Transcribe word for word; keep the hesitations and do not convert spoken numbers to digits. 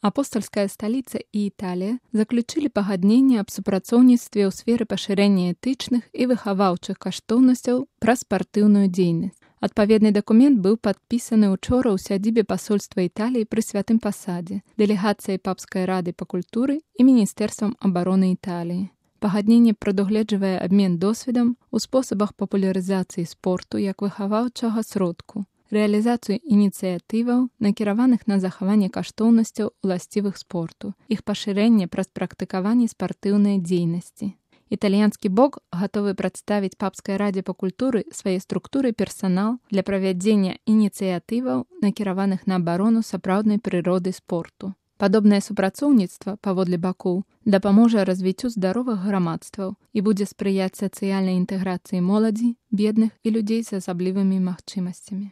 Апостальская сталіца і Італія заключылі пагадненне аб супрацоўніцтве ў сферы пашырэння этычных і выхаваўчых каштоўнасцяў пра спартыўную дзейнасць. Адпаведны дакумент быў падпісаны ўчора ў сядзібе пасольства Італіі пры Святым Пасадзе, дэлегацыяй Папскай рады па культуры і Міністэрствам абароны Італіі. Пагадненне прадугледжвае абмен досведам у спосабах папулярызацыі спорту як выхаваўчага сродку, рэалізацыю ініцыятываў, накіраваных на захаванне каштоўнасцяў уласцівых спорту, іх пашырэнне праз практыкаванне спартыўнай дзейнасці. Італьянскі бок гатовы прадставіць Папскай радзе па культуры свае структуры і персанал для правядзення ініцыятываў, накіраваных на абарону сапраўднай прыроды спорту. Падобнае супрацоўніцтва, паводле бакоў, дапаможа развіццю здаровых грамадстваў і будзе спрыяць сацыяльнай інтэграцыі моладзі, бедных і людзей з асаблівымі магчымасцямі.